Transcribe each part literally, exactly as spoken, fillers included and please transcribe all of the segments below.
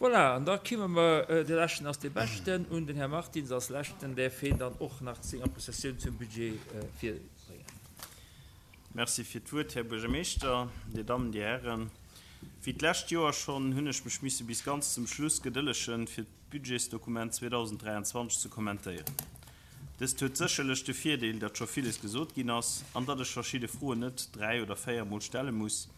Voilà, an da kimme mer, de Leschten ass dee Beschten, un den Här Martins als Leschten däerf heen dann och nach seng Appréciatioun zum Budget virbréngen. Merci fir d'Wuert, Här Buergermeeschter, Dir Dammen, Dir Hären. Wéi d'lescht Joer schonn hunn ech mech misse bis ganz zum Schluss gedëllegen, fir d'Budgetsdokument zweedausenddräianzwanzeg ze kommentéieren. Dëst huet sécherlech de Virdeel, datt scho villes gesot ginn ass an datt ech verschidde Froen net dräi oder véier Mol stelle muss,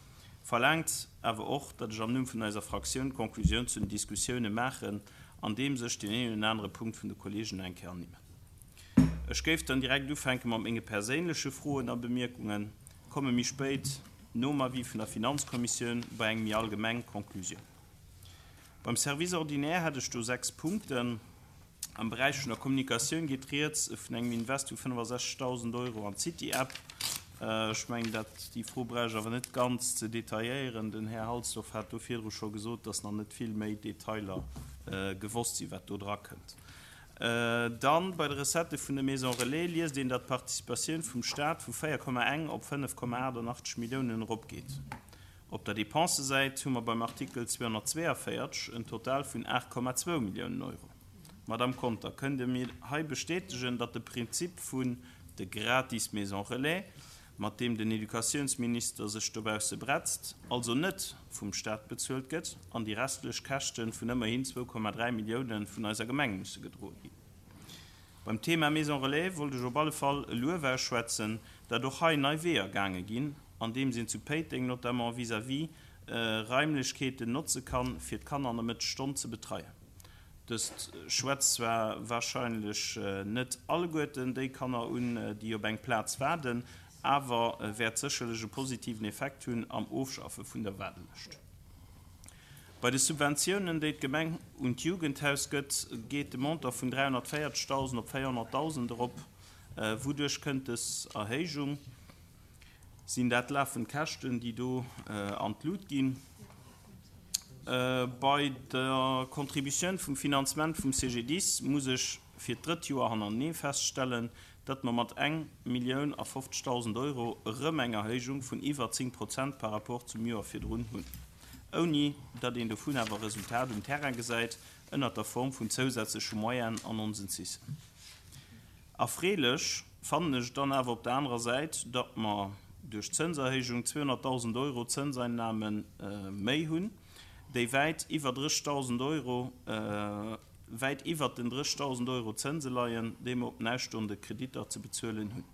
verlaangt awer och, datt ech am Numm vun eiser Fraktioun d'Conclusioun zu den Diskussioune maachen, andeems ech deen een oder anere Punkt vun de Kolleegen nach eng Kéier ernimmen. Ech géif dann direkt ufänke mat menge perséinleche Froen a Bemierkungen, komme méi spéit, nom Avis vun der Finanzkommissioun, bei eng méi allgemeng Conclusioun. Beim Service ordinaire hätt ech do sechs Punkten. Am Beräich vun der Kommunikatioun geet rieds vun engem Invest vu fënnefasechzegdausend Euro an d'City-App. Ech mengen, dat, déi Fro brauch ech awer net ganz ze detailléieren. Den Här Halsdorf hat do virdru scho gesot, dass nach net vill méi Detailer gewosst sinn, wat do drakënnt. Dann, bei de Recettë vun de Maisons relais liest een, datt d'Participatioun vum Stat vu véier Komma eng op fënnef Komma achtannachtzeg Milliounen eropgeet. Op der Dépensesäit hu mer beim Artikel zweehonnertzweeënvéierzeg en Total vun aacht Komma zwou Milliounen Euro. Madamm Conter, kënnt Dir mir hei bestätegen, datt de Prinzip vun de gratis Maisons relais, mat deem den Educatiounsminister sech dobausse bretzt, also net vum Stat bezuelt gëtt an déi restlech Käschte vun ëmmerhin zwou Komma dräi Milliounen vun eiser Gemeng musse gedroe ginn? Beim Thema Maison relais wollt ech op alle Fall e Luef ausschwätzen, datt och hei nei Weeër gaange ginn, andeems een zu Péiteng notamment vis-à-vis Raimlechkeeten notze kann, fir d'Kanner an der Mëttesstonn ze betreien. Dëst schwätzt zwar warscheinlech net alleguerten déi Kanner un, déi op eng Plaz waarden, awer wäert sécherlech e positiven Effekt hunn am Ofschaffe vun der Waardelëscht. Bei de Subventiounen, déi d'Gemeng un d'Jugendhaus gëtt, geet de Montant vun dräihonnertvéierzegdausend op véierhonnertdausend erop. Wouduerch kënnt dës Erhéijung? Sinn dat lafend Käschten, déi do an d'Lut ginn? Bei der Contributioun vum Finanzement vum C G D I S muss ech fir d'drëtt Joer hannerenee feststellen, datt mer mat eng Millioun a fofzegdausend Euro erëm eng Erhéijung vun iwwer zéng Prozent par rapport zum Joer virdrun hunn, ouni datt een dovun awer Resultat um Terrain gesäit ënnert der Form vun zousätzleche Moyenen an onsen C I Sen. Erfreelech fannen ech dann awer op der anerer Säit, datt mer duerch d'Zënserhéijung zweehonnertdausend Euro Zënseinnahme méi hunn, déi wäit iwwer drëssigdausend Euro, wäit iwwert den drëssigdausend Euro Zënse leien, déi mer op den ausstoende Kreditter ze bezuelen hunn.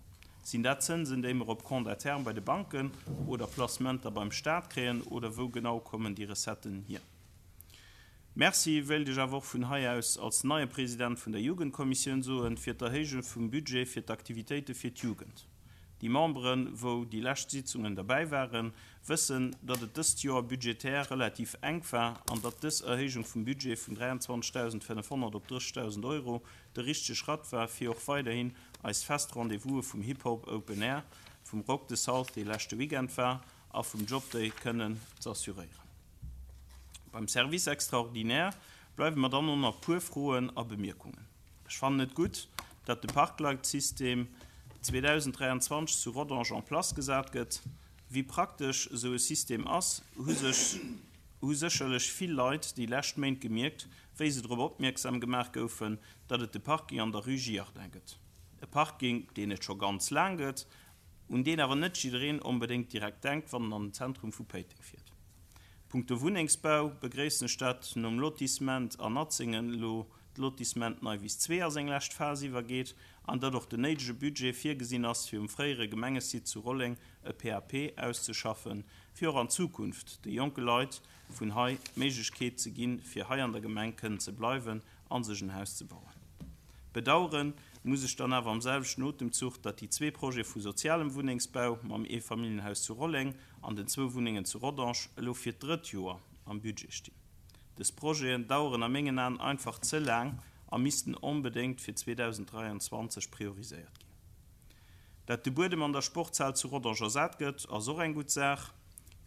Sinn dat Zënsen, déi mer op Compte à terme bei de Banken oder Placementer beim Staat kréien, oder wou genau kommen déi Recetten hier? Merci wéilt ech awer och vun hei aus als neie President vun der Jugendkommissioun soen, fir d'Erhéijung vum Budget fir d'Aktivitéite fir d'Jugend. Déi Memberen, wou déi lescht Sitzungen derbäi waren, wëssen, datt et dëst Joer budgetär relativ enk war an datt dës Erhéijung vum Budget vun dräianzwanzegdausendfënnefhonnert op drëssigdausend Euro de richtege Schratt war, fir och weiderhin eis fest Rendez-vouse vum Hip-Hop Open Air, vum Rock the South, dee leschte Weekend war, a vum Job Day kënnen z'assuréieren. Beim Service extraordinaire bleiwe mer dann och nach puer Froen a Bemierkungen. Ech fannen et gutt, datt de Parkleitsystem zweedausenddräianzwanzeg zu Rodange en place gesat gëtt. Wéi praktesch esou e System ass, hu sech hu sécherlech vill Leit déi lescht Méint gemierkt, wéi se drop opmierksam gemaach goufen, datt et de Parking an der Rue Giardin gëtt. E Parking, deen et scho ganz laang gëtt, un deen awer net jiddereen onbedéngt direkt denkt, wann en an den Zentrum vu Péiteng fiert. Punkto Wunnengsbau begréissen ech, datt nom Lotissement an Atzéngen elo d'Lotissement Neiwiss zwee a seng lescht Phas iwwergeet an datt och den néidege Budget virgesinn ass, fir um fréiere Gemengesite zu Rolleng e P A P auszeschaffen, fir och an Zukunft de jonke Leit vun hei d'Méiglechkeet ze ginn, fir hei an der Gemeng kënnen ze bleiwen a sech en Haus ze bauen. Bedauere muss ech dann awer am selwechten Otemzuch, datt déi zwee Projete vu sozialem Wunnengsbau mam Eefamilljenhaus zu Rolleng an den zwou Wunnengen zu Rodange elo fir d'drëtt Joer am Budget stinn. Dës Projeten daueren a mengen Aen einfach ze laang a missten onbedéngt fir zweedausenddräianzwanzeg prioriséiert ginn. Dat de Buedem an der Sportshal zu Rodange ersat gëtt, ass och eng gutt Saach.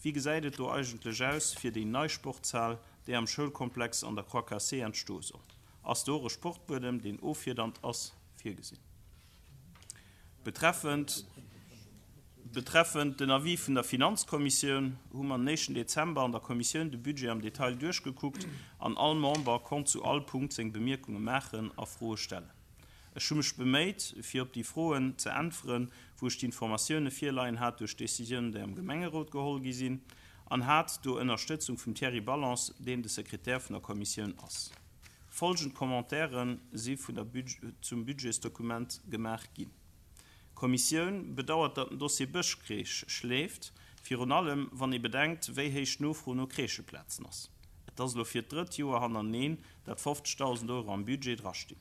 Wéi gesäit et do eigentlech aus fir déi nei Sportshal, déi am Schoulkomplex an der Croix Cassée entstoe soll? Ass do och e Sportbuedem, deen offiedernd ass, virgesinn? Betreffend Betreffend den Avis vun der Finanzkommissioun hu mer den éischten Dezember an der Kommissioun de Budget am Detail duerchgekuckt an all Member konnt zu all Punkt seng Bemierkunge maachen a Froe stellen. Ech hu mech beméit, fir op déi Froen ze äntweren, wou ech d'Informatioune virleien hat duerch Decisiounen, déi am Gemengerot geholl gi sinn, an hat do Ënnerstëtzung vum Thierry Ballance, deen de Sekretär vun der Kommissioun ass. Folgend Commentairen si vun der zum Budgetsdokument gemaach ginn. D'Kommissioun bedauert, datt den Dossier Bëschcrèche schléift, virun allem wann ee bedenkt, wéi héich d'Nofro no Crècheplazen ass. Et ass elo fir d'drëtt Joer hannereneen, datt fofzegdausend Euro am Budget drastinn.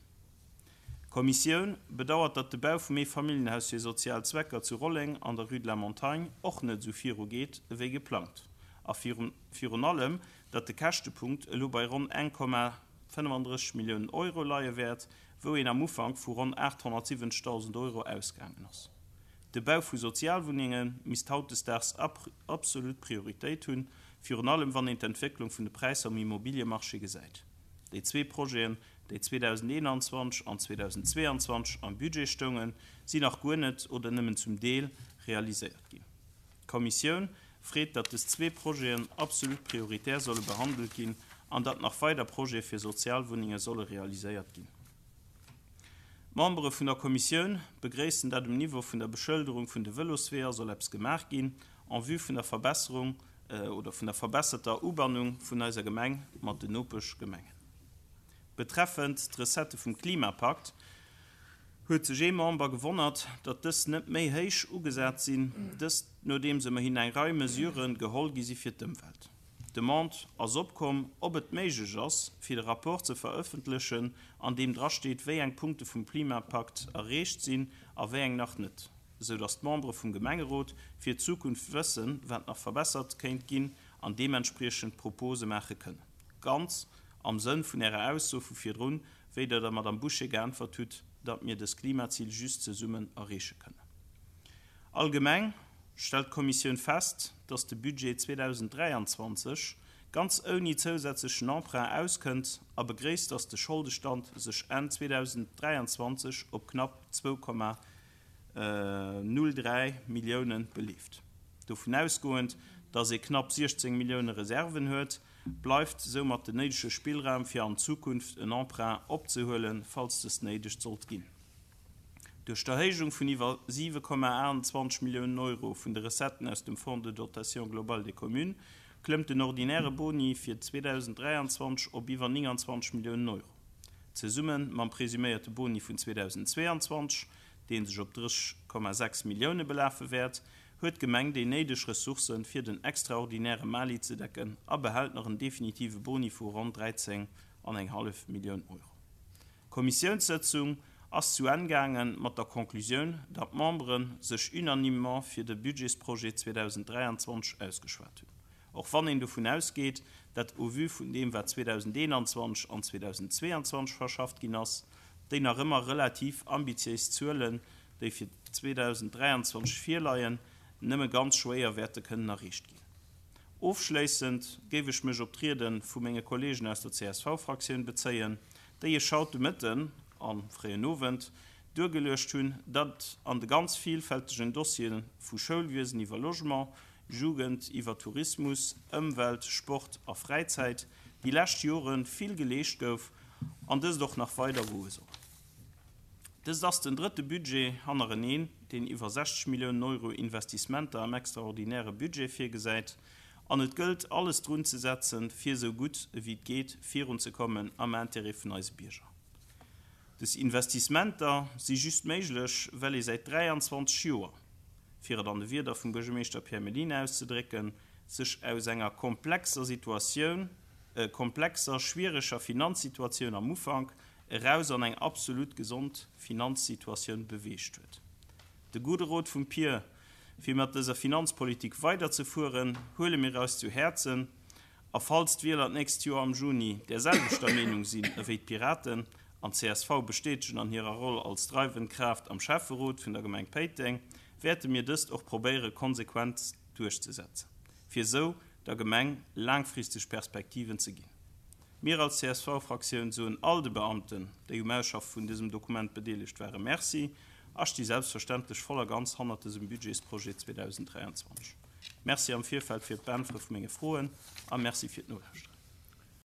D'Kommissioun bedauert, datt de Bau vum Eefamilljenhaus fir sozial Zwecker zu Rolleng an der Rue de la Montagne och net esou viru geet ewéi geplangt a virun allem, datt de Käschtepunkt elo bei ronn eng Komma fënnefandrësseg Milliounen Euro leie wäert, wou een am Ufank vu ronn aathonnertsiwwenzegdausend Euro ausgaangen ass. De Bau vu Sozialwunnenge misst hautdesdaags absolut Prioritéit hunn, virun allem wann een d'Entwécklung vun de Präisser um Immobiliemarché gesäit. Déi zwee Projeten, déi zweedausendeenanzwanzeg an zweedausendzweeanzwanzeg am Budget stoungen, sinn nach guer net oder nëmmen zum Deel realiséiert ginn. D'Kommissioun freet, datt des zwee Projeten absolut prioritär solle behandelt ginn an datt nach weider Projete fir Sozialwunnenge solle realiséiert ginn. D'Membere vun der Kommissioun begréissen, datt um Niveau vun der Beschëlderung vun de Vëlosweeër soll eppes gemaach ginn en vue vun der Verbesserung oder vun der verbesserter Ubannung vun eiser Gemeng mat den Nopeschgemengen. Betreffend d'Recettë vum Klimapakt huet sech ee Member gewonnert, datt dës net méi héich ugesat sinn, dëst nodeems ëmmerhin eng Rei Mesurë geholl gi si fir d'Ëmwelt. D'Demande ass opkomm, ob et méiglech ass, fir de Rapport ze verëffentlechen, an deem drasteet, wéi eng Punkte vum Klimapakt erreecht sinn a wéi eng nach net, sou datt d'Membere vum Gemengerot fir d'Zukunft wëssen, wat nach verbessert kéint ginn an deementspriechend Propose maache kënnen. Ganz am Sënn vun Ärer Ausso vu virdrun, wéi Der der Madame Bouché geäntwert hutt, datt mir dës Klimazil just zesummen erreeche kënnen. Allgemeng stellt d'Kommissioun fest, datt de Budget zweedausenddräianzwanzeg ganz ouni zousätzlechen Emprunt auskënnt a begréisst, datt de Scholdestand sech Enn zweedausenddräianzwanzeg op knapp zwou Komma null dräi Millioune beleeft. Dovun ausgoend, datt ee knapp siechzéng Millioune Reserven huet, bleift soumat den néidege Spillraum fir an Zukunft en Emprunt opzehuelen, falls dëst néideg sollt ginn. Duerch d'Erhéijung vun iwwer siwe Komma aachtundzwanzeg Milliounen Euro vun de Recetten aus dem Fonds de dotation globale des communes klëmmt den ordinäre Boni fir zweedausenddräianzwanzeg op iwwer nénganzwanzeg Milliounen Euro. Zesumme mam presuméierte Boni vun zweedausendzweeanzwanzeg, dee sech op drësseg Komma sechs Millioune belafe wäert, huet d'Gemeng déi néideg Ressourcen, fir den extraordinäre Mali ze decken a behält nach en definitive Boni vu ronn dräizéng an eng hallef Millioun Euro. D'Kommissiounssëtzung ass zu Enn gaange mat der Conclusioun, datt d'Membere sech unanimement fir de Budgetsprojet zweedausenddräianzwanzeg ausgeschwat hunn. Och wann een dovun ausgeet, datt au vu vun deem, wat zweedausendeenanzwanzeg an zweedausendzweeanzwanzeg verschafft ginn ass, déi nach ëmmer relativ ambitiéis Zuelen, déi fir zweedausenddräianzwanzeg virleien, nëmme ganz schwéier wäerte kënnen erreecht ginn. Ofschléissend géif ech mech op d'Riede vu menge Kolleegen aus der C S V-Fraktioun bezéien, déi ech haut de Mëtten am fréien Owend duergeluecht hunn, datt an de ganz vielfältegen Dossiere vu Schoulwiesen iwwer Logement, Jugend iwwer Tourismus, Ëmwelt, Sport a Fräizäit déi lescht Jore vill geleescht gouf an dëst och nach weider goe soll. Dëst ass den drëtte Budget hannereneen, deen iwwer sechzeg Milliounen Euro Investissementer am extraordinäre Budget virgesäit, an et gëllt, alles drun ze setzen, fir esou gutt ewéi et geet virunzekommen am Intérêt vun eise Bierger. Des Investissementer si just méiglech, well ee säit dräianzwanzeg Joer, fir et an de Wierder vum Buergermeeschter Pierre Mellina auszedrécken, sech aus enger komplexer Situatioun, komplexer, schwiereger Finanzsituatioun am Ufank eraus an eng absolut gesond Finanzsituatioun beweegt huet. De gudde Rot vum Pier, fir mat dëser Finanzpolitik weiderzefueren, huele mir eis zu Häerzen, a falls d'Wieler d'nächst Joer am Juni där selwechter Meenung sinn ewéi d'Piraten an d'C S V bestätegen an hirer Roll als dreiwend Kraaft am Schäfferot vun der Gemeng Péiteng, wäerte mir dëst och probéiere konsequent duerchzesetzen, fir esou der Gemeng laangfristeg Perspektiven ze ginn. Mir als C S V-Fraktioun soen all de Beamten, déi um Ausschaffe vun dësem Dokument bedeelegt waren, Merci a sti selbstverständlech voll a ganz hannert dësem Budgetsprojet zweedausenddräianzwanzeg. Merci am Virfeld fir d'Beäntwere vu menge Froen a Merci fir d'Nolauschteren.